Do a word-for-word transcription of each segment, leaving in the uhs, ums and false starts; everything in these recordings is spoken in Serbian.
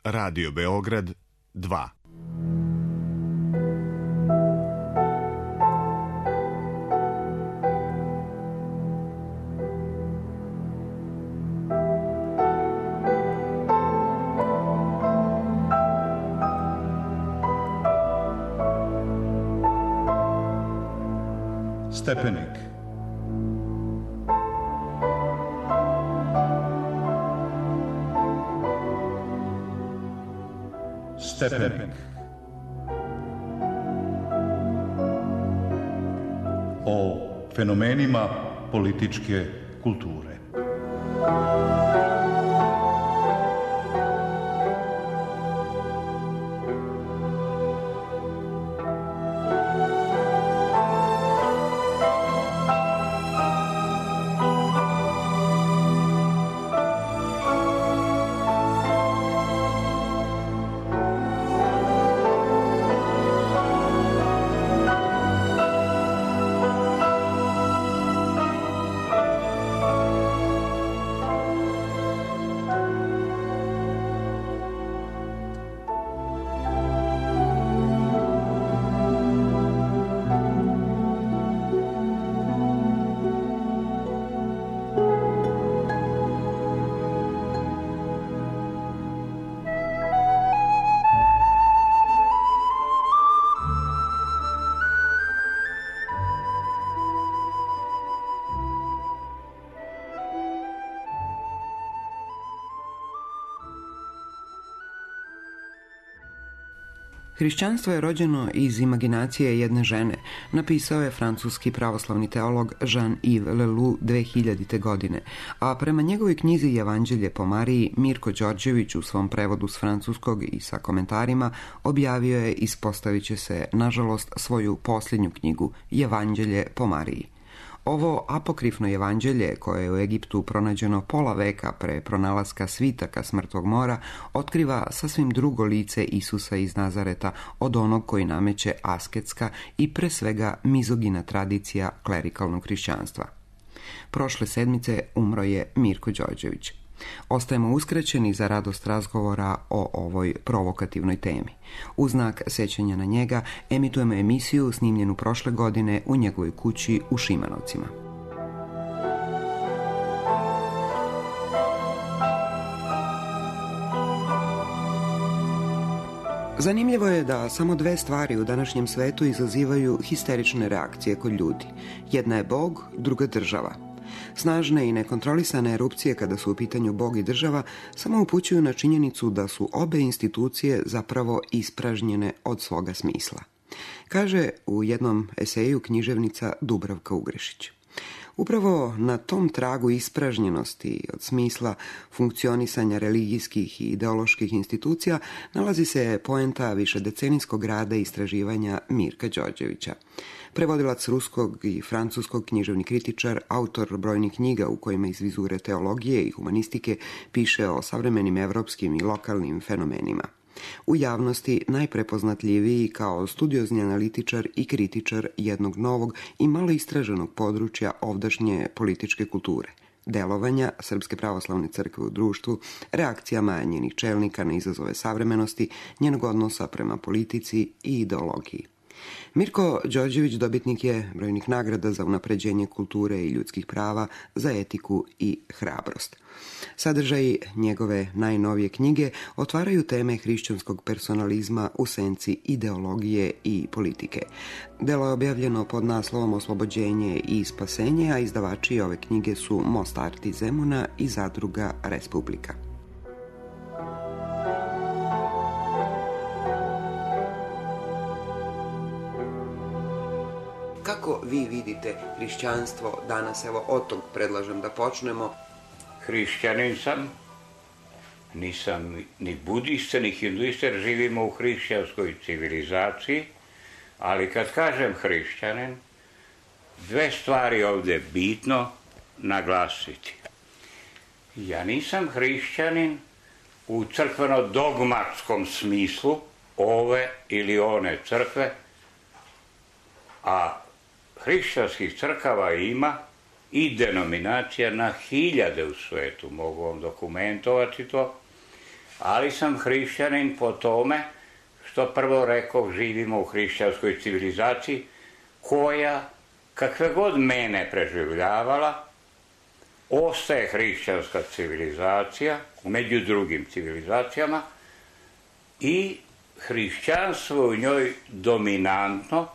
Radio Beograd dva. Stepenik. Stepenik. O fenomenima političke kulture. Hrišćanstvo je rođeno iz imaginacije jedne žene, napisao je francuski pravoslavni teolog Jean-Yves Leloup dve hiljadite. godine, a prema njegovoj knjizi Evanđelje po Mariji, Mirko Đorđević u svom prevodu s francuskog i sa komentarima objavio je, ispostavit će se, nažalost, svoju posljednju knjigu Evanđelje po Mariji. Ovo apokrifno evanđelje, koje je u Egiptu pronađeno pola veka pre pronalaska svitaka s Mrtvog mora, otkriva sasvim drugo lice Isusa iz Nazareta od onog koji nameće asketska i pre svega mizogina tradicija klerikalnog hrišćanstva. Prošle sedmice umro je Mirko Đorđević. Ostajemo uskraćeni za radost razgovora o ovoj provokativnoj temi. U znak sećanja na njega emitujemo emisiju snimljenu prošle godine u njegovoj kući u Šimanovcima. Zanimljivo je da samo dve stvari u današnjem svetu izazivaju histerične reakcije kod ljudi. Jedna je Bog, druga država. Snažne i nekontrolisane erupcije kada su u pitanju Bog i država samo upućuju na činjenicu da su obe institucije zapravo ispražnjene od svoga smisla. Kaže u jednom eseju književnica Dubravka Ugrešić. Upravo na tom tragu ispražnjenosti od smisla funkcionisanja religijskih i ideoloških institucija nalazi se poenta višedecenijskog rada i istraživanja Mirka Đorđevića. Prevodilac ruskog i francuskog, književni kritičar, autor brojnih knjiga u kojima iz vizure teologije i humanistike piše o savremenim evropskim i lokalnim fenomenima. U javnosti najprepoznatljiviji kao studiozni analitičar i kritičar jednog novog i malo istraženog područja ovdašnje političke kulture, delovanja Srpske pravoslavne crkve u društvu, reakcijama njenih čelnika na izazove savremenosti, njenog odnosa prema politici i ideologiji. Mirko Đorđević dobitnik je brojnih nagrada za unapređenje kulture i ljudskih prava, za etiku i hrabrost. Sadržaji njegove najnovije knjige otvaraju teme hrišćanskog personalizma u senci ideologije i politike. Delo je objavljeno pod naslovom Oslobođenje i spasenje, a izdavači ove knjige su Most Art iz Zemuna i Zadruga Respublika. Kako vi vidite hrišćanstvo danas? Evo, od tog predlažem da počnemo. Hrišćanin sam, nisam ni budista, ni hinduista, jer živimo u hrišćanskoj civilizaciji, ali kad kažem hrišćanin, dve stvari ovdje je bitno naglasiti. Ja nisam hrišćanin u crkveno-dogmatskom smislu ove ili one crkve, a hrišćanskih crkava ima i denominacija na hiljade u svetu, mogu vam dokumentovati to, ali sam hrišćanin po tome što prvo rekao živimo u hrišćanskoj civilizaciji koja, kakve god mene preživljavala, ostaje hrišćanska civilizacija među drugim civilizacijama i hrišćanstvo u njoj dominantno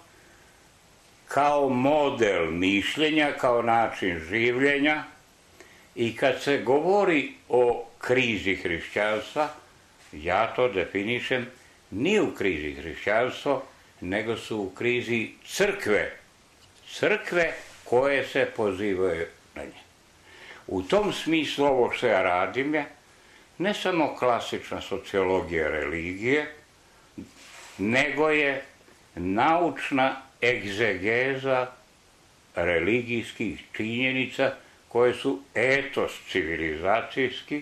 kao model mišljenja, kao način življenja. I kad se govori o krizi hrišćanstva, ja to definišem ni u krizi hrišćanstva, nego su u krizi crkve. Crkve koje se pozivaju na nje. U tom smislu ovo što ja radim je ne samo klasična sociologija religije, nego je naučna egzegeza religijskih činjenica koje su etos civilizacijski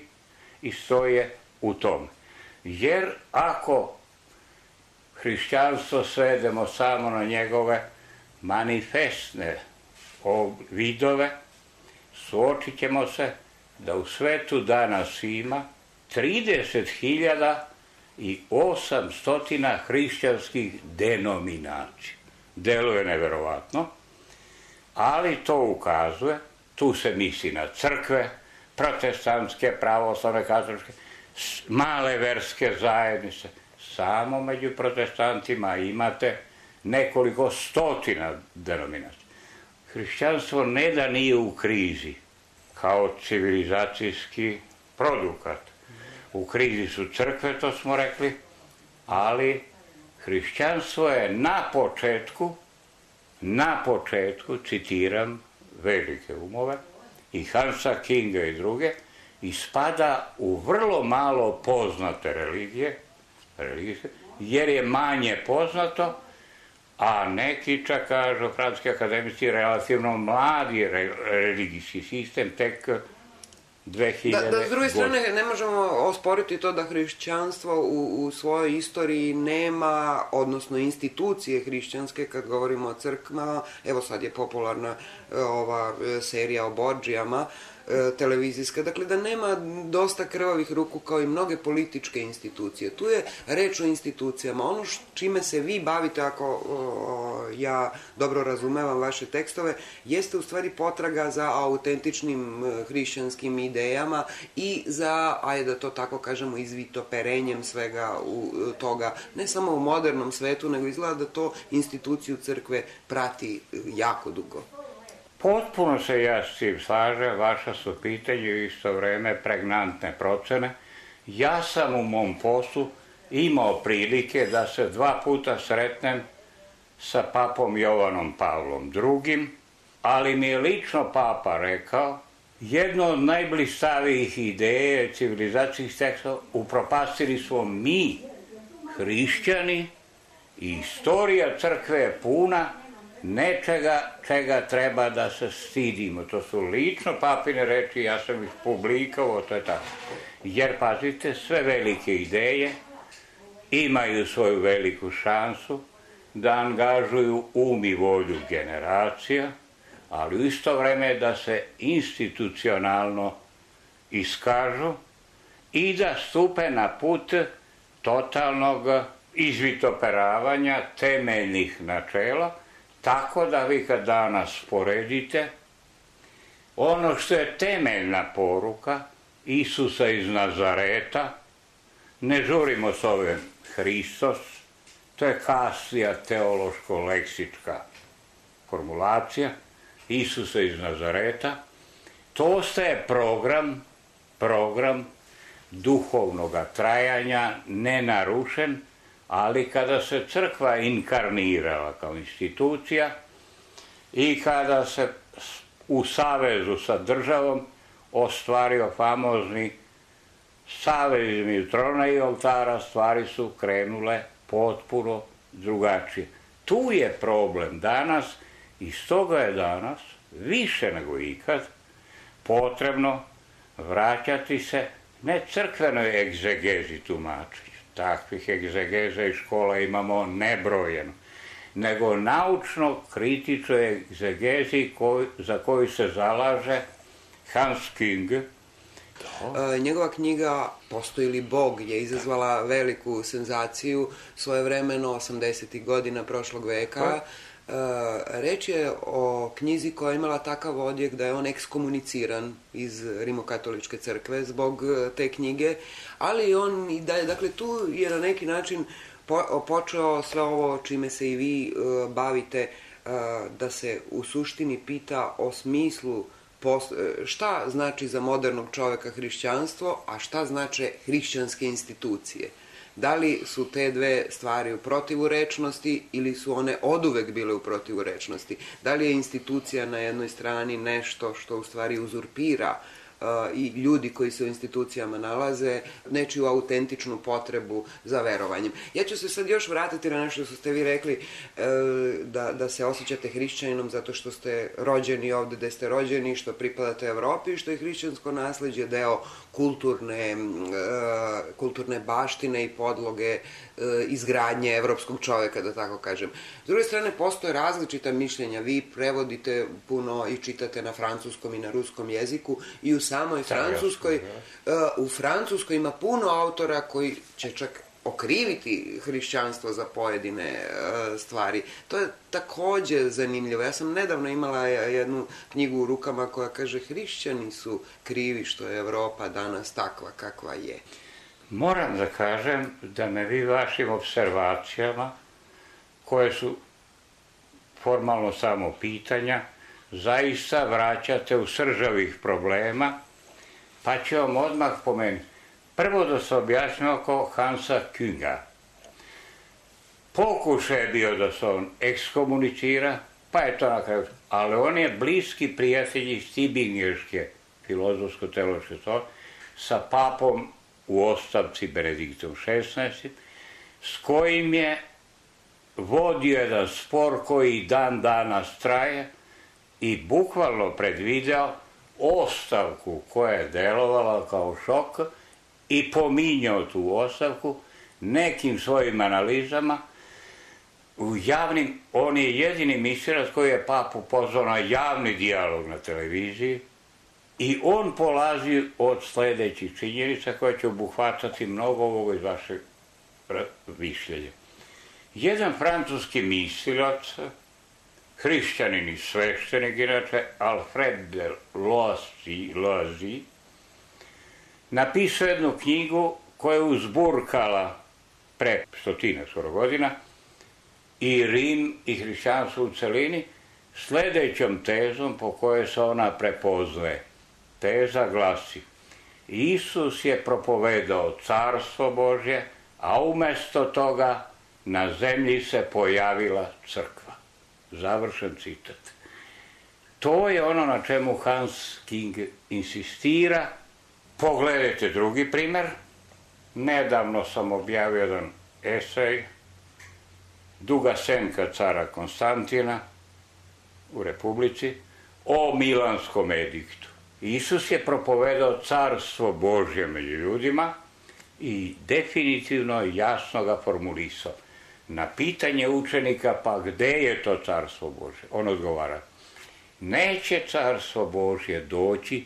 i stoje u tom. Jer ako hrišćanstvo svedemo samo na njegove manifestne vidove, suočit ćemo se da u svetu danas ima trideset hiljada i osamsto hrišćanskih denominacija. Deluje neverovatno, ali to ukazuje, tu se misli na crkve, protestantske, pravoslavne, katoličke, male verske zajednice. Samo među protestantima imate nekoliko stotina denominacija. Hrišćanstvo ne da nije u krizi kao civilizacijski produkat. U krizi su crkve, to smo rekli, ali hrišćanstvo je na početku, na početku, citiram velike umove, i Hansa Kinga i druge, i spada u vrlo malo poznate religije, religije jer je manje poznato, a neki čak kažu, francuski akademici, relativno mladi religijski sistem, tek dve hiljade Da, da, s druge strane, ne možemo osporiti to da hrišćanstvo u, u svojoj istoriji nema, odnosno institucije hrišćanske, kad govorimo o crkvama, evo sad je popularna ova serija o Bordžijama, televizijska, dakle da nema dosta krvavih ruku kao i mnoge političke institucije. Tu je reč o institucijama. Ono čime se vi bavite, ako o, ja dobro razumevam vaše tekstove, jeste u stvari potraga za autentičnim hrišćanskim idejama i za, ajde da to tako kažemo, izvitoperenjem svega u, toga, ne samo u modernom svetu, nego izgleda da to instituciju crkve prati jako dugo. Potpuno se ja s tim slažem, vaša su pitanje u isto vreme pregnantne procene. Ja sam u mom poslu imao prilike da se dva puta sretnem sa papom Jovanom Pavlom drugim, ali mi je lično papa rekao, jedno od najblistavijih ideje civilizacijskih tekstova upropastili smo mi, hrišćani, i istorija crkve je puna nečega čega treba da se stidimo. To su lično papine reči, ja sam ih publikovao, to je tako. Jer, pazite, sve velike ideje imaju svoju veliku šansu da angažuju um i volju generacija, ali u isto vreme da se institucionalno iskažu i da stupe na put totalnog izvitoperavanja temeljnih načela, tako da vi kad danas poredite ono što je temeljna poruka Isusa iz Nazareta, ne žurimo s ovim Hristos, to je kasnija teološko-leksička formulacija, Isusa iz Nazareta, to ostaje program, program duhovnog trajanja, nenarušen, ali kada se crkva inkarnirala kao institucija i kada se u savezu sa državom ostvario famozni savez između trona i oltara, stvari su krenule potpuno drugačije. Tu je problem danas i stoga je danas više nego ikad potrebno vraćati se ne crkvenoj egzegezi tumačenju, takvih egzegeza i škola imamo nebrojeno, nego naučno-kritičnoj egzegezi koj, za koju se zalaže Hans King E, njegova knjiga Postoji li Bog je izazvala veliku senzaciju svojevremeno osamdesetih godina prošlog veka. E, reč je o knjizi koja je imala takav odjek da je on ekskomuniciran iz Rimokatoličke crkve zbog te knjige, ali on i da je, dakle, tu je na neki način po, počeo sve ovo čime se i vi e, bavite, e, da se u suštini pita o smislu šta znači za modernog čoveka hrišćanstvo, a šta znače hrišćanske institucije. Da li su te dve stvari u protivurečnosti ili su one oduvek bile u protivurečnosti? Da li je institucija na jednoj strani nešto što u stvari uzurpira i ljudi koji se u institucijama nalaze nečiju autentičnu potrebu za verovanjem. Ja ću se sad još vratiti na nešto što ste vi rekli, da, da se osjećate hrišćaninom zato što ste rođeni ovde gde ste rođeni, što pripadate Evropi, što je hrišćansko nasleđe deo kulturne, kulturne baštine i podloge izgradnje evropskog čoveka, da tako kažem. S druge strane, postoje različita mišljenja. Vi prevodite puno i čitate na francuskom i na ruskom jeziku i u samoj Francuskoj, u Francuskoj ima puno autora koji će čak okriviti hrišćanstvo za pojedine stvari. To je takođe zanimljivo. Ja sam nedavno imala jednu knjigu u rukama koja kaže hrišćani su krivi što je Evropa danas takva kakva je. Moram da kažem da me vi vašim observacijama, koje su formalno samo pitanja, zaista vraćate u srž ovih problema, pa ću vam odmah pomenuti. Prvo da se objasnim oko Hansa Künga. Pokušaj je bio da se on ekskomunicira, pa je to na kraju. Ali on je bliski prijatelj iz Tibinješke filozofsko-teološke to sa papom u ostavci Benediktom šesnaestim, s kojim je vodio jedan spor koji dan danas traje i bukvalno predvideo ostavku koja je delovala kao šok i pominjao tu ostavku nekim svojim analizama u javnim. On je jedini misirac koji je papu pozvao na javni dijalog na televiziji i on polazi od sledećih činjenica koje će obuhvatati mnogo ovoga iz vašeg mišljenja. Jedan francuski mislilac, hrišćanin i sveštenik, inače Alfred de Loisy, napisao jednu knjigu koja je uzburkala pre stotina skoro godina i Rim i hrišćanstvo u celini sledećom tezom po kojoj se ona prepoznaje. Teza glasi: Isus je propovedao carstvo Božje, a umesto toga na zemlji se pojavila crkva. Završen citat. To je ono na čemu Hans King insistira. Pogledajte drugi primer. Nedavno sam objavio jedan esej Duga senka cara Konstantina u Republici o Milanskom ediktu. Isus je propovedao carstvo Božje među ljudima i definitivno jasno ga formulisao. Na pitanje učenika, pa gde je to carstvo Božje? On odgovara: neće carstvo Božje doći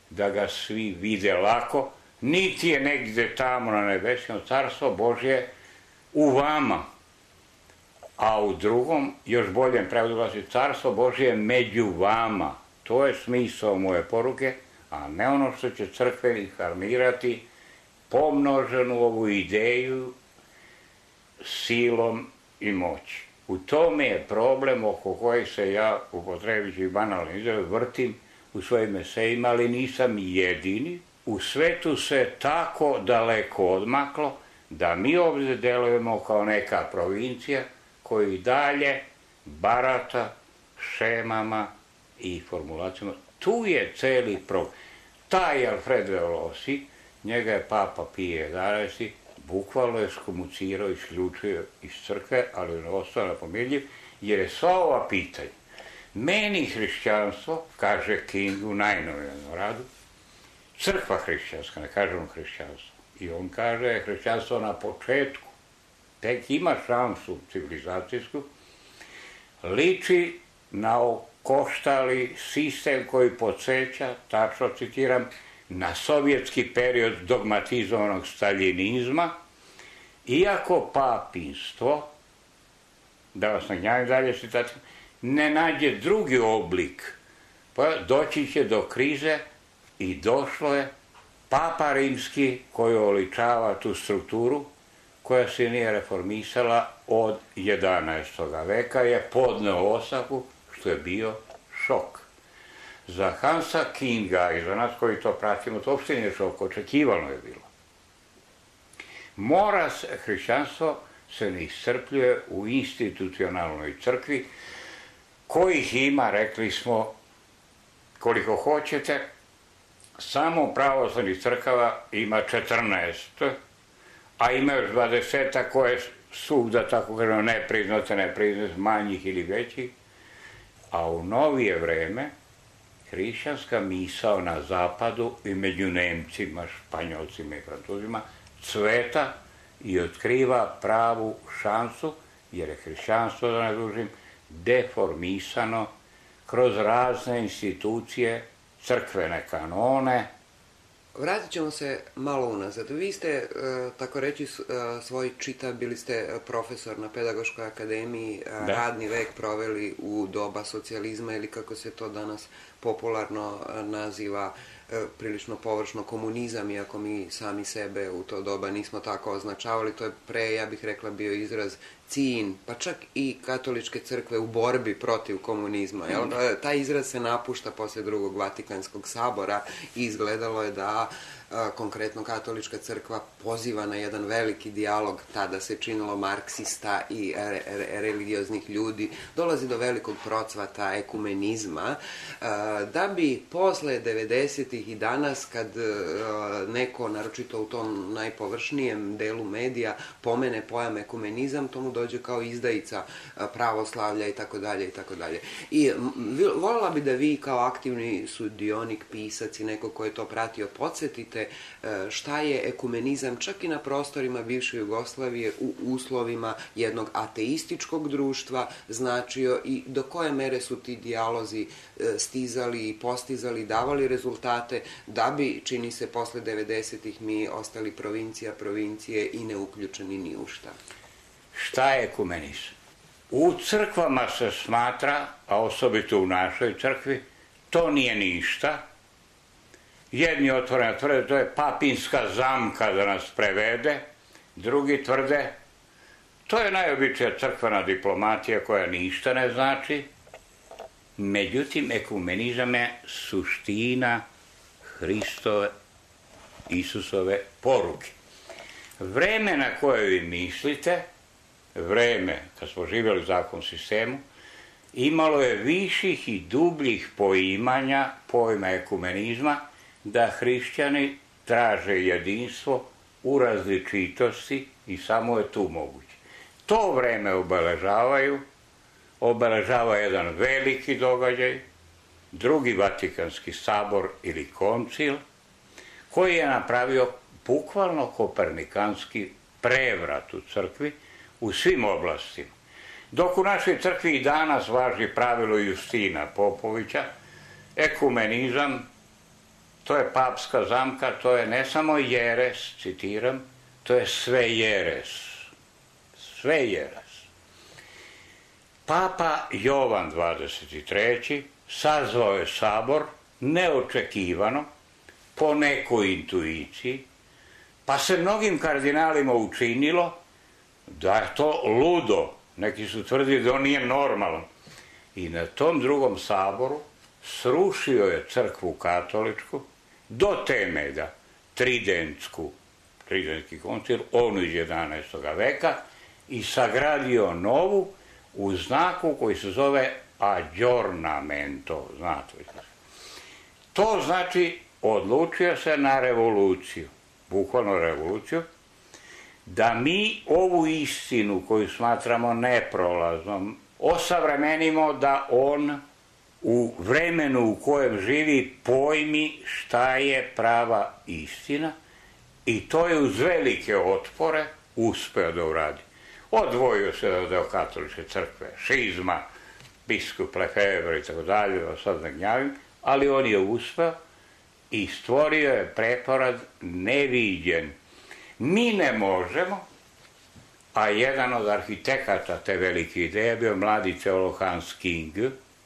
da ga svi vide lako, niti je negde tamo na nebesima. Carstvo Božje u vama. A u drugom, još boljem prevodu glasi: carstvo Božje među vama. To je smisao moje poruke, a ne ono što će crkvenik armirati pomnoženu ovu ideju silom i moći. U tome je problem oko kojeg se ja, upotrebiću i banalni izraz, vrtim u svojim esejima, ali nisam jedini. U svetu se tako daleko odmaklo da mi ovdje delujemo kao neka provincija koji dalje barata šemama i formulacijama. Tu je celi problem. Taj Alfred de Loisy, njega je papa Pije jedanaesti bukvalno je skomucirao i isključio iz crkve, ali on ostao napominljiv, jer je sva ova pitanja. Meni hrišćanstvo, kaže King u najnovijem radu, crkva hrišćanska, ne kažemo hrišćanstvo. I on kaže hrišćanstvo na početku, tek ima šansu civilizacijsku, liči na okoštali sistem koji podsjeća, tačno citiram, na sovjetski period dogmatizovanog staljinizma, iako papinstvo, da vas nagnjavim dalje citacijom, ne nađe drugi oblik, pa doći će do krize i došlo je Papa Rimski koji oličava tu strukturu koja se nije reformisala od jedanaestog veka, je podneo ostavku, što je bio šok. Za Hansa Kinga i za nas koji to pratimo, to uopšte nije šok, očekivano je bilo. Mora se, hrišćanstvo se ne iscrpljuje u institucionalnoj crkvi, kojih ima, rekli smo, koliko hoćete, samo pravoslavnih crkava ima četrnaest, a ima još dvadeseta koje su, da tako kažemo, nepriznate, nepriznate, manjih ili većih, a u novije vreme hrišćanska misao na zapadu i među Nemcima, Španjolcima i Francuzima cveta i otkriva pravu šansu, jer je hrišćanstvo, da ne dužim, deformisano kroz razne institucije, crkvene kanone. Vratit ćemo se malo unazad. Vi ste, tako reći, svoj čitav, bili ste profesor na Pedagoškoj akademiji, da. Radni vek proveli u doba socijalizma ili kako se to danas popularno naziva, prilično površno komunizam, iako mi sami sebe u to doba nismo tako označavali. To je pre, ja bih rekla, bio izraz cin, pa čak i katoličke crkve u borbi protiv komunizma. Jel? Taj izraz se napušta posle drugog Vatikanskog sabora i izgledalo je da konkretno katolička crkva poziva na jedan veliki dijalog, tada se činilo marksista i religioznih ljudi, dolazi do velikog procvata ekumenizma, da bi posle devedesetih i danas, kad neko, naročito u tom najpovršnijem delu medija, pomene pojam ekumenizam, to mu dođe kao izdajica pravoslavlja i tako dalje i tako dalje. I voljela bi da vi kao aktivni sudionik, pisac i neko ko je to pratio, podsjetite šta je ekumenizam čak i na prostorima bivše Jugoslavije u uslovima jednog ateističkog društva značio i do koje mere su ti dijalozi stizali i postizali, davali rezultate, da bi, čini se, posle devedesetih mi ostali provincija, provincije i ne uključeni ni u šta. Šta je ekumenizam? U crkvama se smatra, a osobito u našoj crkvi, to nije ništa. Jedni otvoreno tvrde, to je papinska zamka da nas prevede, drugi tvrde, to je najobičnija crkvena diplomatija koja ništa ne znači. Međutim, ekumenizam je suština Hristove, Isusove poruke. Vreme na koje vi mislite, vreme kad smo živjeli u zakonskom sistemu, imalo je viših i dubljih poimanja pojma ekumenizma, da hrišćani traže jedinstvo u različitosti i samo je tu moguće. To vreme obeležavaju, obeležava jedan veliki događaj, drugi Vatikanski sabor ili koncil, koji je napravio bukvalno kopernikanski prevrat u crkvi u svim oblastima. Dok u našoj crkvi i danas važi pravilo Justina Popovića, ekumenizam, to je papska zamka, to je ne samo jeres, citiram, to je sve jeres. Sve jeres. Papa Jovan dvadeset treći sazvao je sabor neočekivano, po nekoj intuiciji, pa se mnogim kardinalima učinilo da je to ludo. Neki su tvrdili da on nije normalan. I na tom drugom saboru srušio je crkvu katoličku do teme da tridentsku, tridentski koncil, onu iz jedanaestog veka, i sagradio novu u znaku koji se zove aggiornamento, znate. To znači odlučio se na revoluciju, bukvalno revoluciju, da mi ovu istinu koju smatramo neprolaznom osavremenimo, da on u vremenu u kojem živi pojmi šta je prava istina, i to je uz velike otpore uspeo da uradi. Odvojio se od katoličke crkve, šizma, biskup Lefebvre i tako dalje, sad ne gnjavim, ali on je uspeo i stvorio je preporod neviđen. Mi ne možemo, a jedan od arhitekata te velike ideje bio mladi teolog Hans King,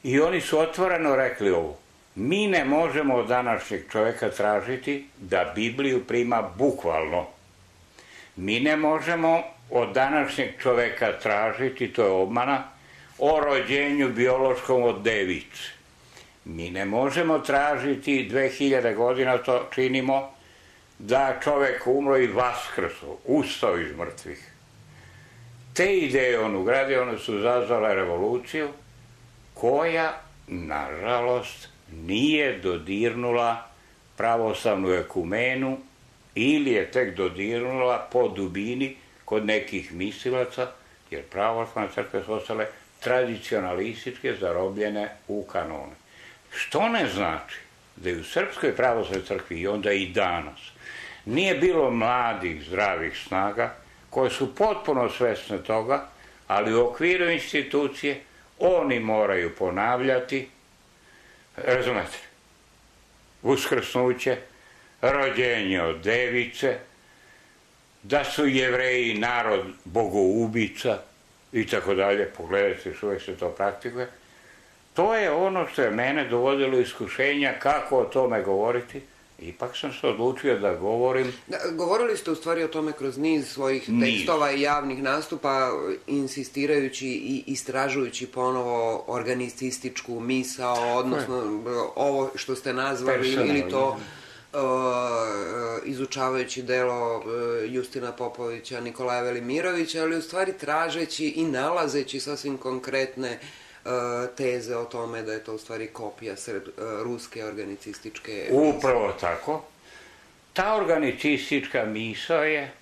i oni su otvoreno rekli ovo: mi ne možemo od današnjeg čoveka tražiti da Bibliju prima bukvalno. Mi ne možemo od današnjeg čoveka tražiti, to je obmana, o rođenju biološkom od device. Mi ne možemo tražiti, dve hiljade godina to činimo, da čovek umro i vaskrso, ustao iz mrtvih. Te ideje on ugradio, one su zazvale revoluciju koja, nažalost, nije dodirnula pravoslavnu ekumenu ili je tek dodirnula po dubini kod nekih mislilaca, jer pravoslavne crkve su ostale tradicionalističke, zarobljene u kanone. Što ne znači da je u Srpskoj pravoslavnoj crkvi i onda i danas nije bilo mladih, zdravih snaga koje su potpuno svesne toga, ali u okviru institucije oni moraju ponavljati, razumete, uskrsnuće, rođenje od device, da su Jevreji narod bogoubica i tako dalje. Pogledajte, što uvek se to praktikuje. To je ono što je mene dovodilo iskušenja kako o tome govoriti. Ipak sam se odlučio da govorim. Da, govorili ste u stvari o tome kroz niz svojih niz. tekstova i javnih nastupa, insistirajući i istražujući ponovo organicističku misao, odnosno ovo što ste nazvali, ili to uh, izučavajući delo uh, Justina Popovića, Nikolaja Velimirovića, ali u stvari tražeći i nalazeći sasvim konkretne teze o tome da je to u stvari kopija sred, ruske organicističke... Upravo tako. Ta organicistička misao je...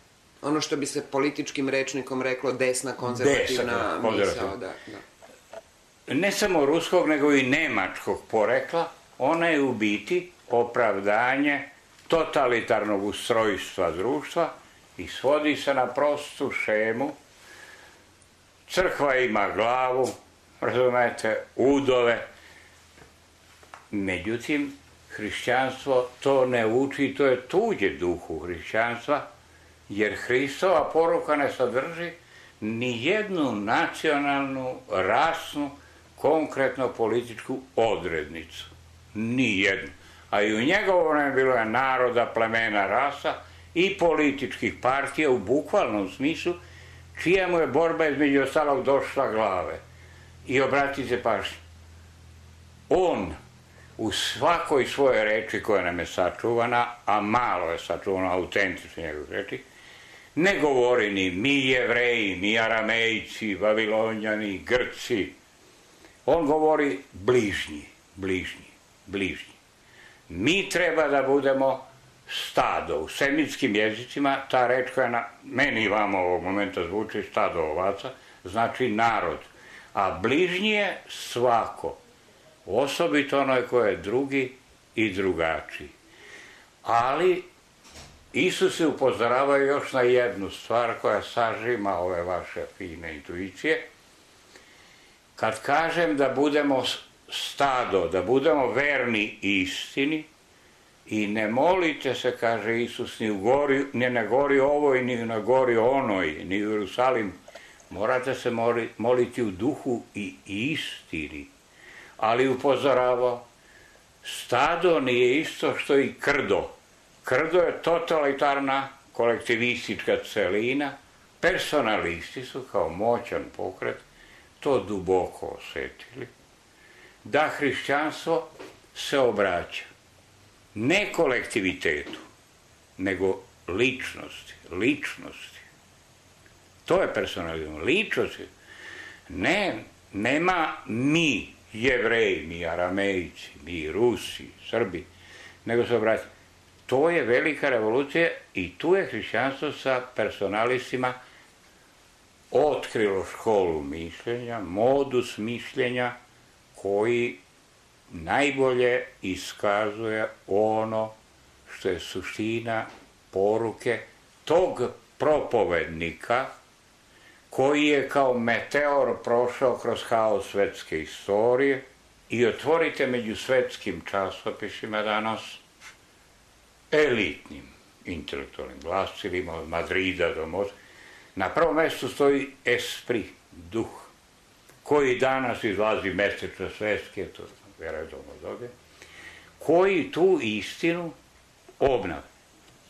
ono što bi se političkim rečnikom reklo desna konzervativna desna, misao. Da, da. Ne samo ruskog, nego i nemačkog porekla. Ona je u biti opravdanje totalitarnog ustrojstva društva i svodi se na prostu šemu. Crkva ima glavu, razumete, udove. Međutim, hrišćanstvo to ne uči, to je tuđe duhu hrišćanstva, jer Hristova poruka ne sadrži ni jednu nacionalnu, rasnu, konkretno političku odrednicu. Ni jednu. A i u njegovo vreme bilo je naroda, plemena, rasa i političkih partija u bukvalnom smislu, čija mu je borba između ostalog došla glave. I obratite pažnju, on u svakoj svojoj reči koja nam je sačuvana, a malo je sačuvana, autentično njegov reči, ne govori ni mi Jevreji, ni Aramejci, Vavilonjani, Grci. On govori bližnji, bližnji, bližnji. Mi treba da budemo stado. U semitskim jezicima ta reč koja na meni i vama ovog momenta zvuči stado ovaca, znači narod. A bližnji je svako, osobito onaj ko je drugi i drugačiji. Ali Isus se upozorava još na jednu stvar koja sažima ove vaše fine intuicije. Kad kažem da budemo stado, da budemo verni istini i ne molite se, kaže Isus, ni, u gori, ni na gori ovoj, ni na gori onoj, ni u Jerusalimu. Morate se moliti u duhu i istini. Ali upozoravao, stado nije isto što i krdo. Krdo je totalitarna kolektivistička celina. Personalisti su kao moćan pokret to duboko osjetili. Da hrišćanstvo se obraća ne kolektivitetu, nego ličnosti, ličnosti. To je personalizam, ličnosti. Ne, nema mi, Jevreji, mi Aramejci, mi Rusi, Srbi, nego se obraća. To je velika revolucija i tu je hrišćanstvo sa personalistima otkrilo školu mišljenja, modus mišljenja koji najbolje iskazuje ono što je suština poruke tog propovednika koji je kao meteor prošao kroz haos svetske istorije. I otvorite među svetskim časopisima danas elitnim intelektualnim glasilima od Madrida do Moskve. Na prvom mjestu stoji esprit, duh, koji danas izlazi mesečno svetske, to vjerojatno dobe, koji tu istinu obnave.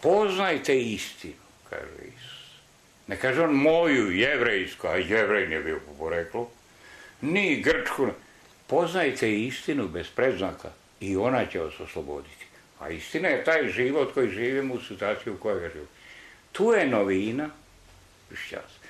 Poznajte istinu, kaže Isus. Ne kaže on moju jevrejsku, a jevrej nije bio po poreklu, ni grčku. Poznajte istinu bez predznaka i ona će vas osloboditi. A istina je taj život koji živimo u situaciji u kojoj ga živimo. Tu je novina hrišćanstva.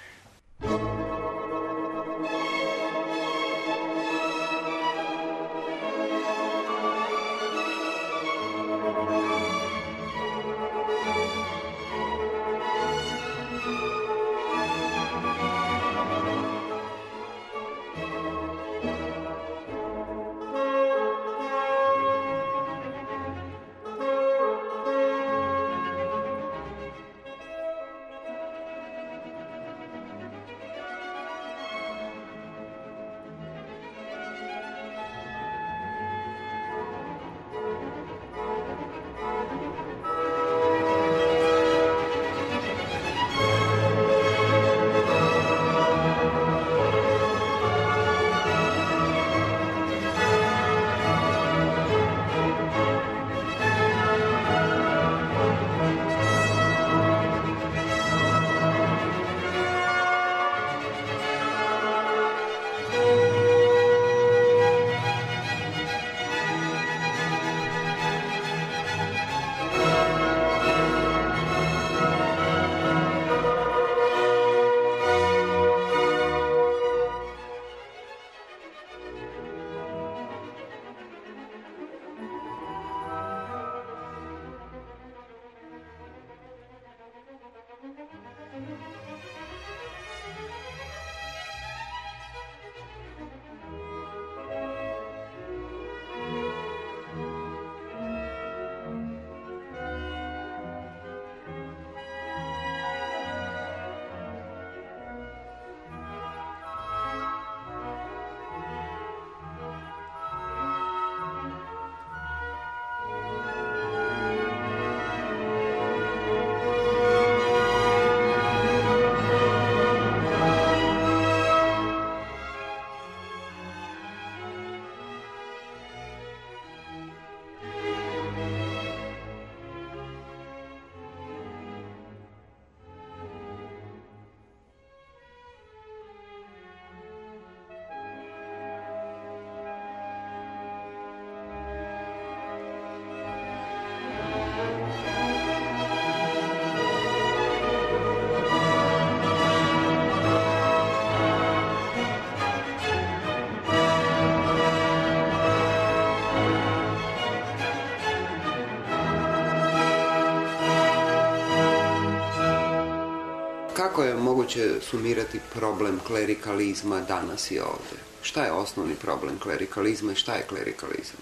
Kako je moguće sumirati problem klerikalizma danas i ovdje? Šta je osnovni problem klerikalizma i šta je klerikalizam?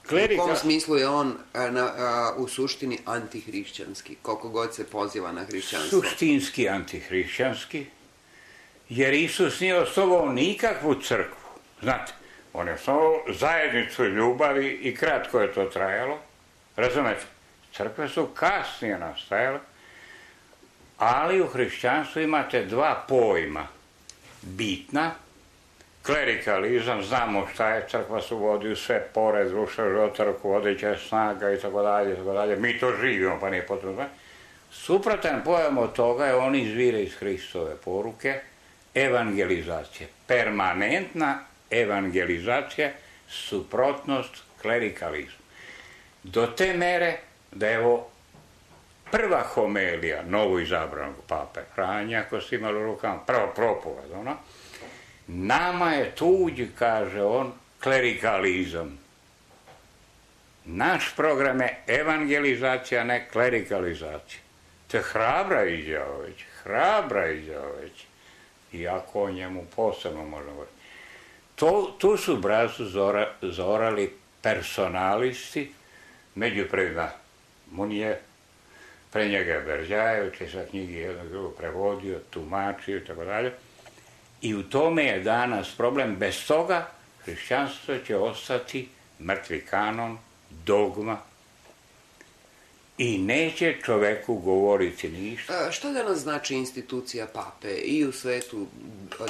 Klerika... U kom smislu je on a, na, a, u suštini antihrišćanski, koliko god se poziva na hrišćanstvo? Suštinski antihrišćanski, jer Isus nije osnovao nikakvu crkvu. Znate, on je osnovao zajednicu ljubavi i kratko je to trajalo. Razumete? Crkve su kasnije nastajale, ali u hrišćanstvu imate dva pojma. Bitna, klerikalizam, znamo šta je, crkva se uvodi u sve pore društva, života, rukovodeća snaga i tako dalje, tako dalje. Mi to živimo, pa nije potrebno. Suprotan pojam od toga je, on izvire iz Hristove poruke, evangelizacije. Permanentna evangelizacija, suprotnost klerikalizmu. Do te mere da evo prva homelija novo izabranog pape Franja, ako ste imali u rukama, prva propoved, ono, nama je tuđ, kaže on, klerikalizam. Naš program je evangelizacija, ne klerikalizacija. To je hrabra izjava već, hrabra izjava već, iako o njemu posebno možemo govoriti. To, tu su brazu zora, zorali personalisti, među prvima Munije, pre njega je Beržajević, je sa knjigi jednog drugog prevodio, tumačio i tako dalje. I u tome je danas problem. Bez toga hrišćanstvo će ostati mrtvi kanon, dogma. i neće čoveku govoriti ništa. A, šta danas znači institucija pape i u svetu,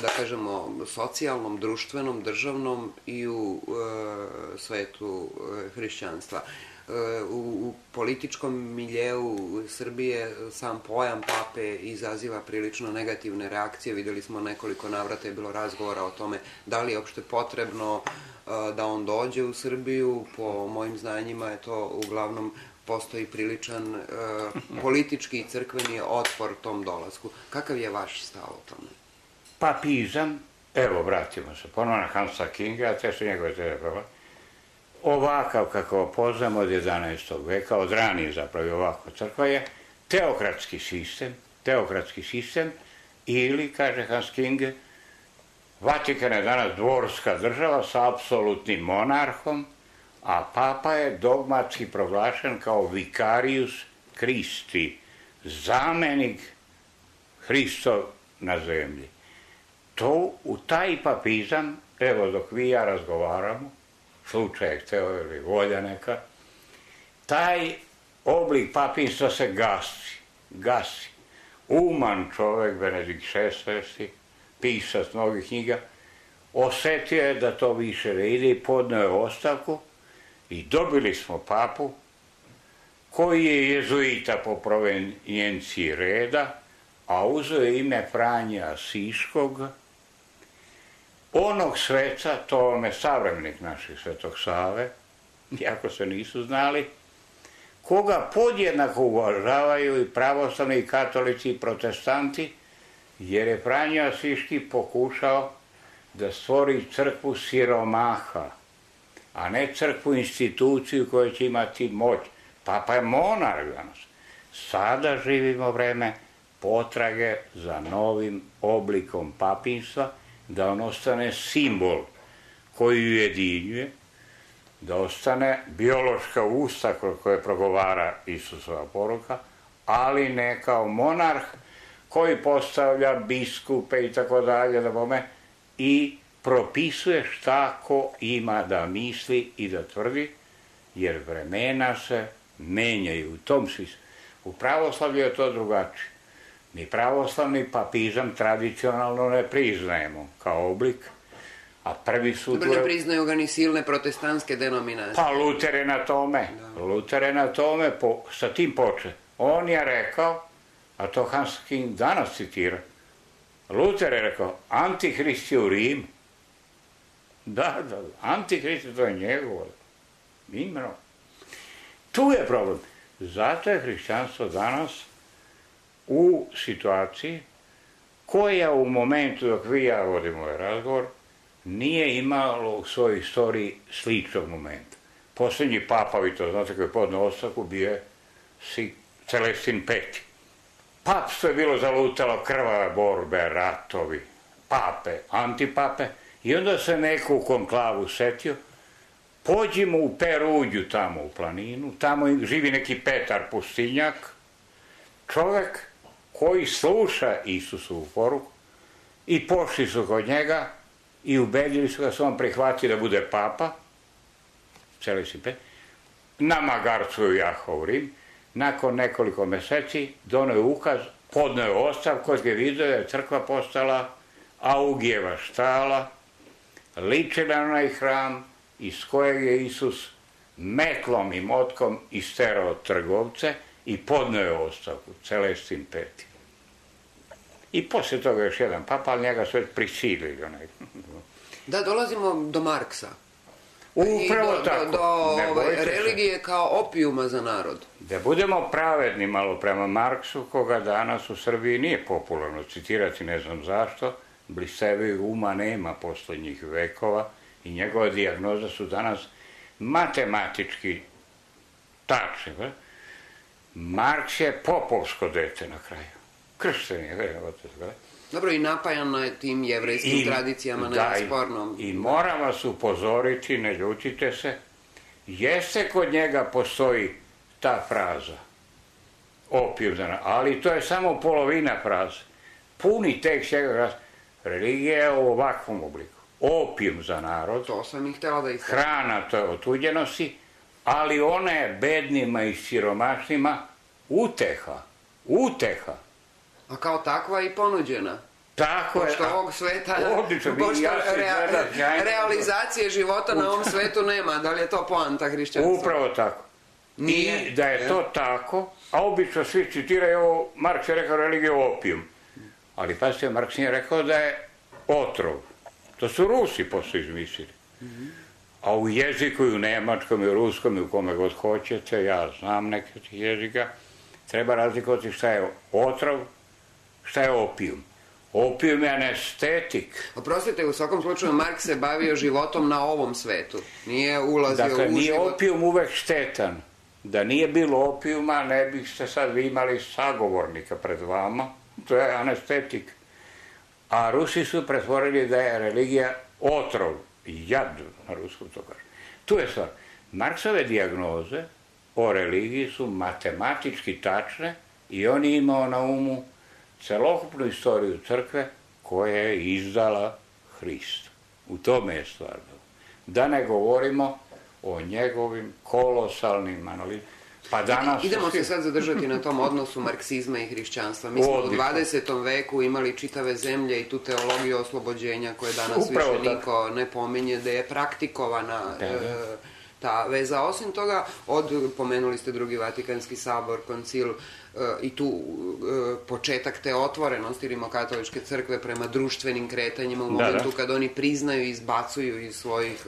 da kažemo, socijalnom, društvenom, državnom i u e, svetu e, hrišćanstva? E, u, u političkom miljeu Srbije sam pojam pape izaziva prilično negativne reakcije. Videli smo nekoliko navrata je bilo razgovora o tome da li je uopšte potrebno e, da on dođe u Srbiju. Po mojim znanjima je to uglavnom postoji priličan e, politički i crkveni otpor tom dolasku. Kakav je vaš stav o tome? Papizam, evo vratimo se ponovno na Hansa Kinga, a te su njegove teorije, ovakav kako poznamo od jedanaestog veka, od ranije zapravo ovako crkva je teokratski sistem, teokratski sistem ili, kaže Hans King, Vatikan je danas dvorska država sa apsolutnim monarhom, a papa je dogmatski proglašen kao vicarius Christi, zamenik Hristov na zemlji. To, u taj papizam, evo dok vi i ja razgovaramo, slučaj hteo ili volja neka, taj oblik papinstva se gasi, gasi. Uman čovek, Benedikt šesnaesti, pisac mnogih knjiga, osetio je da to više ne ide i podneo je ostavku i dobili smo papu koji je jezuita po provenjenciji reda, a uzeo je ime Franje Asiškog, onog sveca, to vam je savremenik naših Svetog Save, iako se nisu znali, koga podjednako uvažavaju i pravoslavni i katolici i protestanti, jer je Franje Asiški pokušao da stvori crkvu siromaha, a ne crkvu instituciju koja će imati moć. Papa je monarh danas. Sada živimo vreme potrage za novim oblikom papinstva, da on ostane simbol koji ujedinjuje, da ostane biološka usta koje progovara Isusova poruka, ali ne kao monarh koji postavlja biskupe i tako dalje, da bome, i propisuje šta ko ima da misli i da tvrdi, jer vremena se menjaju u tom smislu. U pravoslavlju je to drugačije. Mi pravoslavni papizam tradicionalno ne priznajemo kao oblik, a prvi su... Dobro, ne priznaju ga ni silne protestantske denominacije. Pa Luter je na tome, da. Luter je na tome, po, sa tim poče. On je rekao, a to Hans King danas citira, Luter je rekao, Antihrist je u Rim. Da, da, Antihrist, to je njegovo imeno. Tu je problem. Zato je hrišćanstvo danas u situaciji koja u momentu dok vi ja vodimo ovaj razgovor nije imalo u svojoj istoriji sličnog momenta. Posljednji papa, vi to znate, koji je podneo ostavku, bio je Celestin peti. Papstvo je bilo zalutalo, krvave borbe, ratovi, pape, antipape, i onda se neko u konklavu setio, pođimo u Peruđu tamo u planinu, tamo živi neki Petar Pustinjak, čovek koji sluša Isusovu poruku, i pošli su kod njega i ubedili su ga se on prihvati da bude papa, Celestin peti, na magarcu u Jahov u Rim. Nakon nekoliko meseci doneo je ukaz, podneo je ostavku, koji je vidio da je crkva postala Augijeva štala, ličila na onaj hram iz kojeg je Isus metlom i motkom isterao trgovce i podneo je ostavku, Celestin peti. I poslije toga još jedan papa, ali njega su već prisilili. Da, dolazimo do Marksa. Upravo do, tako. Do, do ove, religije kao opijuma za narod. Da budemo pravedni malo prema Marksu, koga danas u Srbiji nije popularno citirati, ne znam zašto, blistevih uma nema poslednjih vekova i njegova dijagnoza su danas matematički tačne. Marks je popovsko dete na kraju. Kršten je, verujem, otac. Dobro, i napajano je tim jevrejskim I, tradicijama da, nespornom. I, i moram vas upozoriti, ne ljutite se, jeste kod njega postoji ta fraza, opijum za narod, ali to je samo polovina fraze. Puni tekst njega glasa, religija je u ovakvom obliku. Opijum za narod, to sam ih htjela da istavim. Hrana to je otuđenosti, ali ona je bednima i siromašnima uteha, uteha. A kao takva i ponuđena. Tako je. Pošto ovog sveta, odlično, pošto ja rea, gledam, realizacije života na ovom svetu nema, da li je to poanta hrišćanstva? Upravo tako. Nije. I da je to tako, a obično svi citiraju ovo, Marks je rekao religija opijum. Ali pazite, Marks nije rekao da je otrov. To su Rusi posle izmislili. A u jeziku i u nemačkom i u ruskom i u kome god hoćete, ja znam neke od tih jezika, treba razlikovati šta je otrov, šta je opijum. Opijum je anestetik. Oprostite, u svakom slučaju Marks se bavio životom na ovom svetu. Nije ulazio dakle, u život. Dakle, nije opijum uvek štetan. Da nije bilo opijuma, ne biste sad vi imali sagovornika pred vama. To je anestetik. A Rusi su pretvorili da je religija otrov. Jad, na ruskom to kaže. Tu je stvar. Marksove dijagnoze o religiji su matematički tačne i on je imao na umu celokupnu istoriju crkve koja je izdala Hrista. U tome je stvar. Da ne govorimo o njegovim kolosalnim analizama. Pa danas... Idemo se sad zadržati na tom odnosu marksizma i hrišćanstva. Mi smo u dvadesetom veku imali čitave zemlje i tu teologiju oslobođenja koje danas više niko ne pominje, da je praktikovana ta veza. Osim toga, od, pomenuli ste Drugi Vatikanski sabor, koncil i tu početak te otvorenosti rimokatoličke crkve prema društvenim kretanjima u momentu kad oni priznaju i izbacuju iz svojih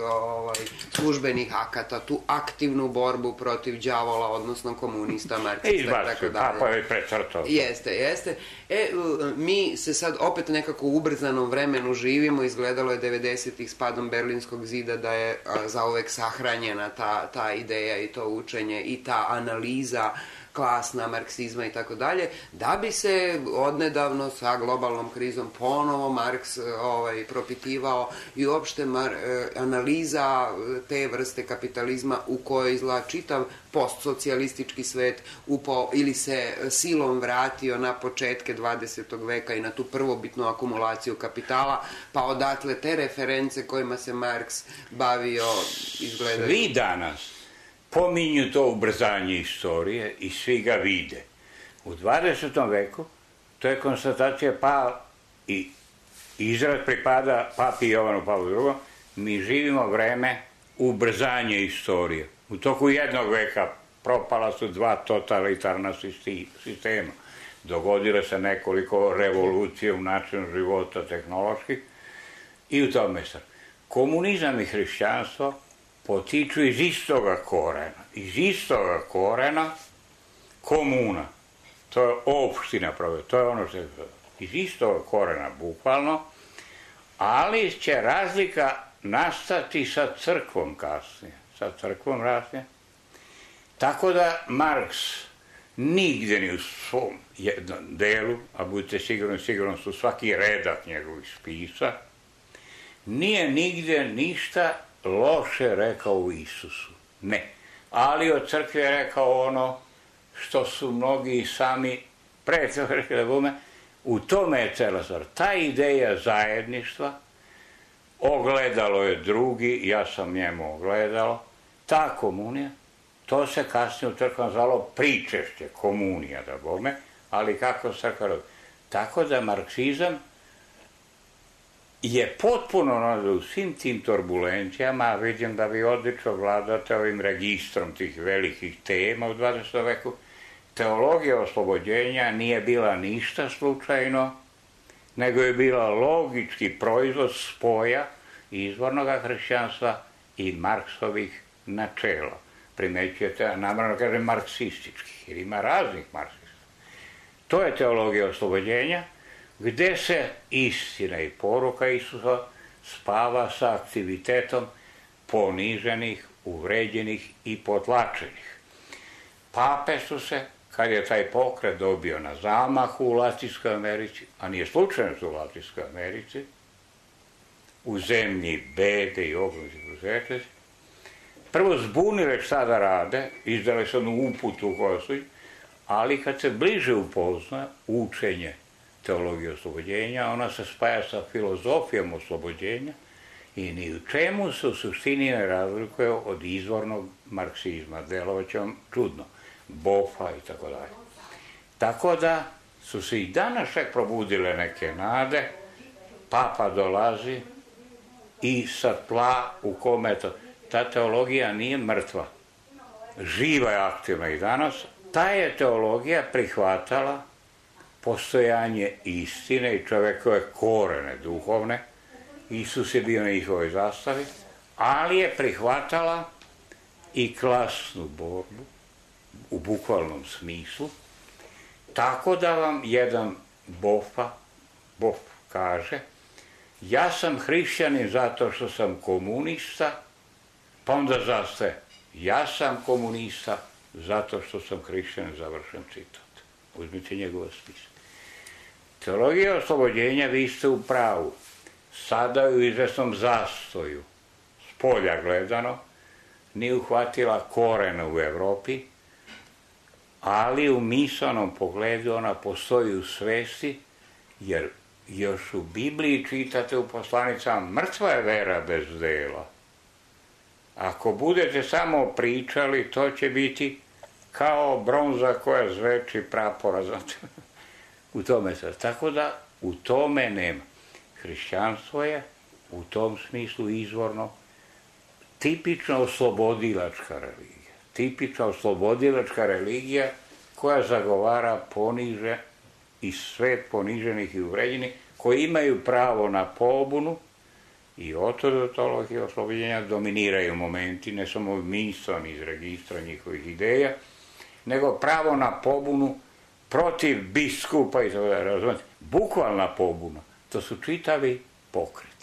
službenih akata tu aktivnu borbu protiv đavola, odnosno komunista, marksista i tako dalje. Papa je precrtao. Jeste, jeste. E, mi se sad opet nekako u ubrzanom vremenu živimo, izgledalo je devedesetih s padom Berlinskog zida da je zauvek sahranjena ta, ta ideja i to učenje i ta analiza klasna, marksizma i tako dalje, da bi se odnedavno sa globalnom krizom ponovo Marks ovaj, propitivao i uopšte mar, analiza te vrste kapitalizma u kojoj izgleda čitav postsocijalistički svet upo, ili se silom vratio na početke dvadesetog veka i na tu prvobitnu akumulaciju kapitala, pa odatle te reference kojima se Marks bavio izgledaju. Svi danas pominju to ubrzanje istorije i svi ga vide. U dvadesetom veku to je konstatacija pa i izraz pripada papi Jovanu Pavlu drugom, mi živimo vreme ubrzanje istorije. U toku jednog veka propala su dva totalitarna sistema. Dogodile se nekoliko revolucije u načinu života tehnoloških i u tome sad. Komunizam i hrišćanstvo potiču iz istoga korena. Iz istoga korena komuna. To je opština pravo. To je ono što je iz istoga korena bukvalno, ali će razlika nastati sa crkvom kasnije. Sa crkvom kasnije. Tako da Marks nigde ni u svom jednom delu, a budite sigurni, sigurno su svaki redak njegovih spisa, nije nigde ništa loše rekao u Isusu. Ne. Ali od crkve je rekao ono što su mnogi sami pre toga rekli da bume. U tome je cela stvar. Ta ideja zajedništva, ogledalo je drugi, ja sam njemu ogledalo, ta komunija, to se kasnije u crkvom zvalo pričešće, komunija da bome, ali kako crkva rodi. Tako da marksizam je potpuno u svim tim turbulencijama, a vidim da vi odlično vladate ovim registrom tih velikih tema u dvadesetom veku. Teologija oslobođenja nije bila ništa slučajno, nego je bila logički proizvod spoja izvornog hrišćanstva i Marksovih načela. Primećujete, namerno kažem marksističkih, jer ima raznih marksista. To je teologija oslobođenja, gde se istina i poruka Isusa spava sa aktivitetom poniženih, uvređenih i potlačenih. Pape su se, kad je taj pokret dobio na zamahu u Latinskoj Americi, a nije slučajno su u Latinskoj Americi, u zemlji bede i ogromnih prosvjetnosti, prvo zbunile šta da rade, izdale su jednu uputu u kojoj su, ali kad se bliže upozna učenje teologije oslobođenja, ona se spaja sa filozofijom oslobođenja i ni u čemu se u suštini ne razlikuje od izvornog marksizma. Delovaće vam čudno. Bofa i tako dalje. Tako da su se i danas čak probudile neke nade, papa dolazi i sa tla u kome to... Ta teologija nije mrtva. Živa je, aktivna i danas. Ta je teologija prihvatala postojanje istine i čovekove korene duhovne. Isus je bio na njihovoj zastavi, ali je prihvatala i klasnu borbu u bukvalnom smislu, tako da vam jedan Bofa, Bof kaže, ja sam hrišćanin zato što sam komunista, pa onda zastaje, ja sam komunista zato što sam hrišćanin, završen citat. Uzmite njegova spisa. Teologija oslobođenja, vi ste u pravu, sada u izvesnom zastoju, s polja gledano, nije uhvatila korena u Evropi, ali u misaonom pogledu ona postoji u svesti, jer još u Bibliji čitate u poslanicama, mrtva je vera bez dela. Ako budete samo pričali, to će biti kao bronza koja zveči prapora, znate, u tome se. Tako da u tome nema. Hrišćanstvo je u tom smislu izvorno tipično oslobodilačka religija. Tipična oslobodilačka religija koja zagovara poniže i svet poniženih i uvređenih, koji imaju pravo na pobunu i otodotolog i oslobođenja dominiraju momenti, ne samo mislan iz registra njihovih ideja, nego pravo na pobunu protiv biskupa i tako da razumete. Bukvalna pobuna, to su čitavi pokreti.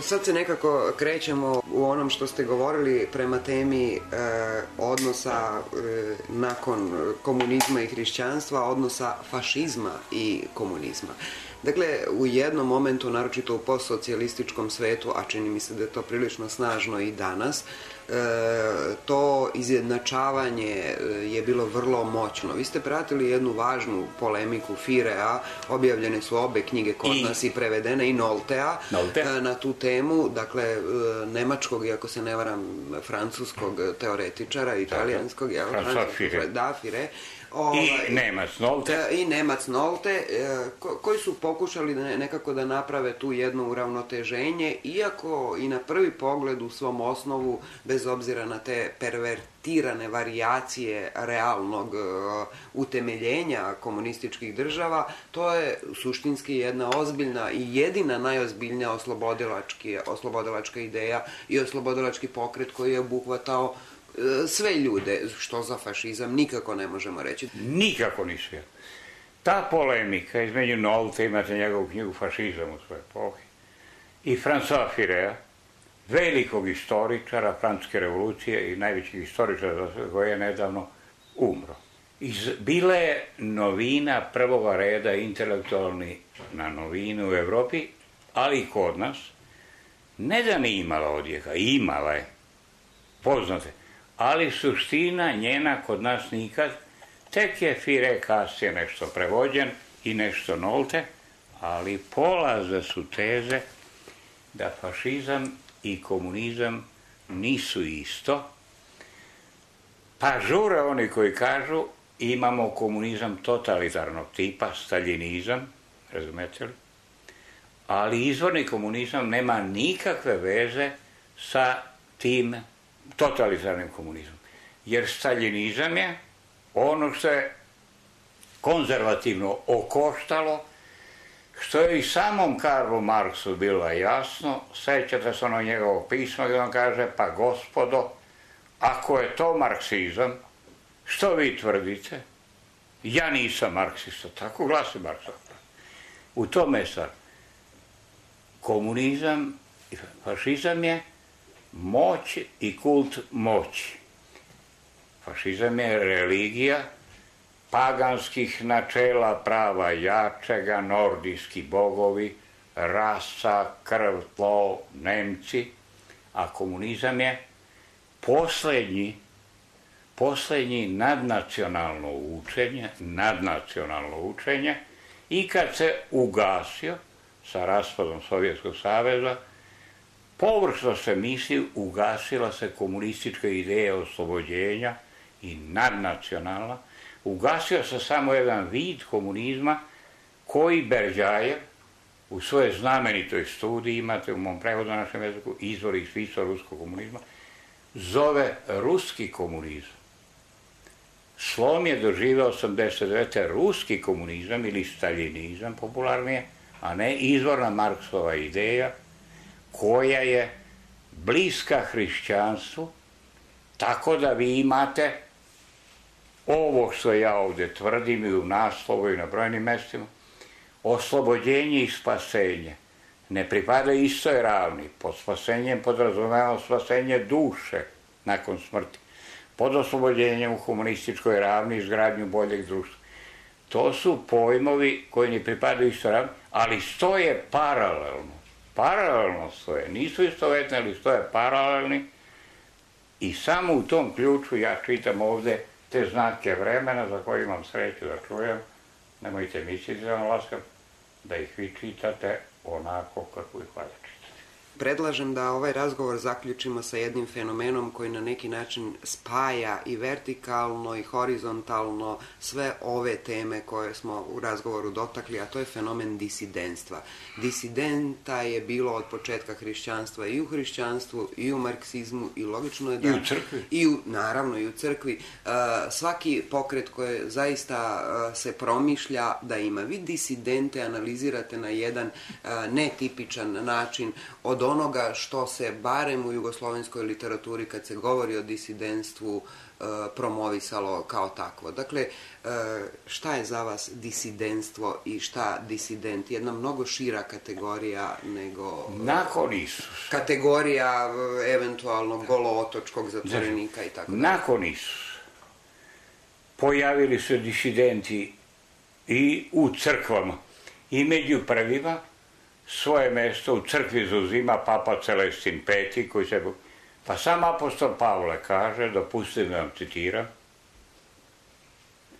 Sad se nekako krećemo u onom što ste govorili prema temi e, odnosa e, nakon komunizma i hrišćanstva, odnosa fašizma i komunizma. Dakle, u jednom momentu, naročito u postsocijalističkom svetu, a čini mi se da je to prilično snažno i danas, e, to izjednačavanje je bilo vrlo moćno. Vi ste pratili jednu važnu polemiku Firea, objavljene su obe knjige kod I... nas i prevedene, i Noltea, Nolte. na tu temu, dakle, nemačkog, i ako se ne varam, francuskog teoretičara, italijanskog, jel? François Fire. Da, Fire. Ovaj, I Nemac Nolte. I Nemac Nolte, ko, koji su pokušali da nekako da naprave tu jedno uravnoteženje, iako i na prvi pogled u svom osnovu, bez obzira na te pervertirane varijacije realnog uh, utemeljenja komunističkih država, to je suštinski jedna ozbiljna i jedina najozbiljnija oslobodilačka ideja i oslobodilački pokret koji je obuhvatao sve ljude, što za fašizam nikako ne možemo reći. Nikako ni sve. Ta polemika između Nolte, imate njegovu knjigu Fašizam u svojoj epohi, i François Furet, velikog istoričara francuske revolucije i najvećeg istoričara koji je nedavno umro. Iz, bila je novina prvoga reda, intelektualni na novinu u Evropi, ali i kod nas. Ne da nije imala odjeka, imala je, poznate, ali suština njena kod nas nikad. Tek je Furet kasnije nešto prevođen i nešto Nolte, ali polaze su teze da fašizam i komunizam nisu isto, pa žure oni koji kažu imamo komunizam totalitarnog tipa, staljinizam, razumete li? Ali izvorni komunizam nema nikakve veze sa tim totalitarnim komunizmom. Jer staljinizam je ono što je konzervativno okoštalo, što je i samom Karlu Marksu bilo jasno. Sećate se ono njegovog pisma gdje on kaže, pa gospodo, ako je to marksizam, što vi tvrdite? Ja nisam marksista, tako glasi Marksa. U tome je stvar. Komunizam i fašizam je moć i kult moći. Fašizam je religija paganskih načela prava jačega, nordijski bogovi, rasa, krv, tlo, Nemci, a komunizam je poslednji, poslednji nadnacionalno učenje, nadnacionalno učenje, i kad se ugasio sa raspadom Sovjetskog saveza, površno se misli, ugasila se komunistička ideja oslobođenja i nadnacionalna, ugasio se samo jedan vid komunizma koji Berdjajev u svojoj znamenitoj studiji, imate u mom prevodu na našem jeziku, Izvor i smisao ruskog komunizma, zove ruski komunizam. Slom je doživeo osamdeset devete ruski komunizam ili staljinizam popularnije, a ne izvorna Marksova ideja koja je bliska hrišćanstvu, tako da vi imate ovo što ja ovdje tvrdim i u naslovu i na brojnim mestima, oslobođenje i spasenje ne pripadaju istoj ravni. Pod spasenjem podrazumevamo spasenje duše nakon smrti. Pod oslobođenjem u humanističkoj ravni izgradnju boljeg društva. To su pojmovi koji ne pripadaju istoj ravni, ali stoje paralelno. Paralelno stoje. Nisu istovetni, ali stoje paralelni. I samo u tom ključu ja čitam ovde te znake vremena za koje imam sreću da čujem. Nemojte misliti za vam laskav da ih vi čitate onako kako ih valja čitati. Predlažem da ovaj razgovor zaključimo sa jednim fenomenom koji na neki način spaja i vertikalno i horizontalno sve ove teme koje smo u razgovoru dotakli, a to je fenomen disidentstva. Disidenta je bilo od početka hrišćanstva i u hrišćanstvu, i u marksizmu, i logično je da... I u crkvi. I u, naravno, i u crkvi. Uh, svaki pokret koji zaista uh, se promišlja da ima. Vi disidente analizirate na jedan uh, netipičan način od onoga što se barem u jugoslovenskoj literaturi kad se govori o disidentstvu promovisalo kao takvo. Dakle, šta je za vas disidentstvo i šta disident? Jedna mnogo šira kategorija nego... Nakon Isusa. Kategorija eventualno golootočkog zatvorenika i tako. Nakon Isusa pojavili su disidenti i u crkvama i među prvima svoje mesto u crkvi zauzima Papa Celestin peti, koji se... Pa sam apostol Pavle kaže, dopustite da vam citiram,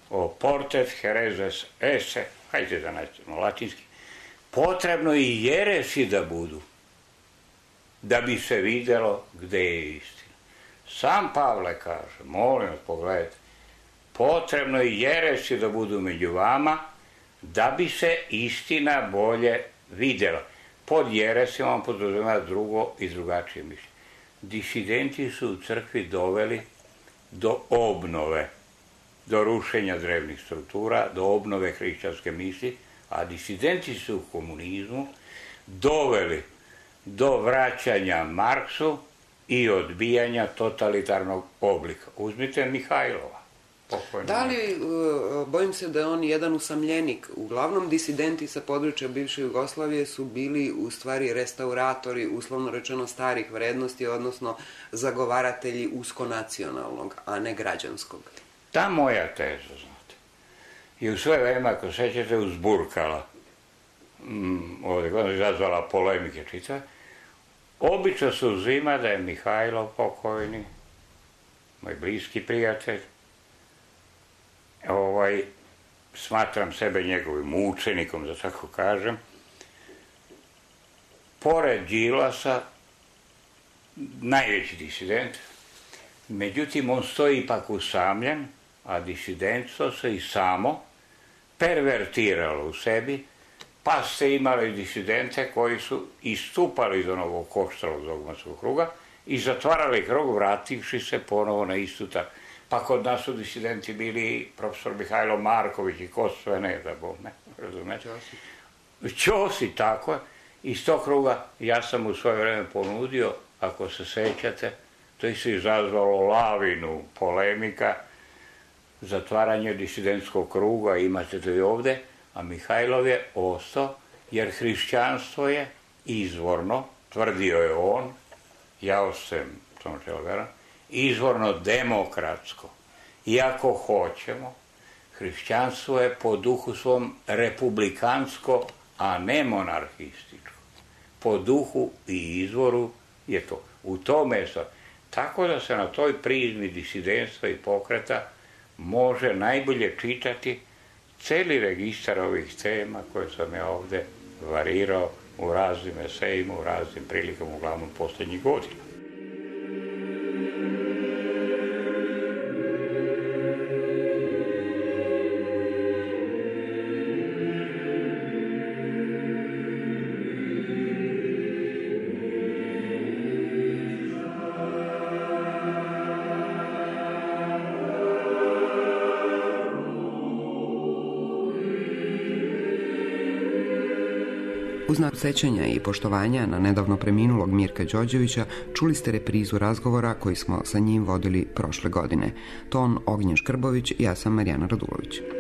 o portet herezes esse, hajde da naćemo latinski, potrebno i jeresi da budu, da bi se videlo gde je istina. Sam Pavle kaže, molim vas pogledajte, potrebno i jeresi da budu među vama, da bi se istina bolje vidjela. Pod jeresima on podrazumeva drugo i drugačije mišljenje. Disidenti su u crkvi doveli do obnove, do rušenja drevnih struktura, do obnove hrišćanske misli, a disidenti su u komunizmu doveli do vraćanja Marksu i odbijanja totalitarnog oblika. Uzmite Mihajlova. Pokojno. Da li, bojim se da je on jedan usamljenik. Uglavnom disidenti sa područja bivše Jugoslavije su bili u stvari restauratori, uslovno rečeno, starih vrednosti, odnosno zagovaratelji uskonacionalnog, a ne građanskog. Ta moja teza, znate, je u svoje vreme, ako sećate, uzburkala, mm, ovdje godina izazvala polemike čitave. Obično se uzima da je Mihajlov pokojni, moj bliski prijatelj, ovaj, smatram sebe njegovim učenikom, da tako kažem, pored Đilasa, najveći disident, međutim on stoji ipak usamljen, a disidentstvo se i samo pervertiralo u sebi, pa ste imali disidente koji su istupali iz onog koštalog dogmatskog kruga i zatvarali krug, vrativši se ponovo na istu tako. Pa kod nas su disidenti bili profesor Mihajlo Marković i ko sve ne, da bom ne, razumete? Ćosi, tako je. Iz tog kruga ja sam u svoje vreme ponudio, ako se sećate, to je se izazvalo lavinu polemika, zatvaranje disidentskog kruga, imate to i ovde, a Mihajlov je ostao, jer hrišćanstvo je izvorno, tvrdio je on, ja ostajem tom čelo veran, izvorno demokratsko. Iako hoćemo, hrišćanstvo je po duhu svom republikansko, a ne monarhističko. Po duhu i izvoru je to. U tome je to. Tako da se na toj prizmi disidentstva i pokreta može najbolje čitati celi registar ovih tema koje sam ja ovde varirao u raznim esejima, u raznim prilikama, uglavnom poslednjih godina. U znak sećanja i poštovanja na nedavno preminulog Mirka Đorđevića čuli ste reprizu razgovora koji smo sa njim vodili prošle godine. Ton Ognjen Škrbović, ja sam Marijana Radulović.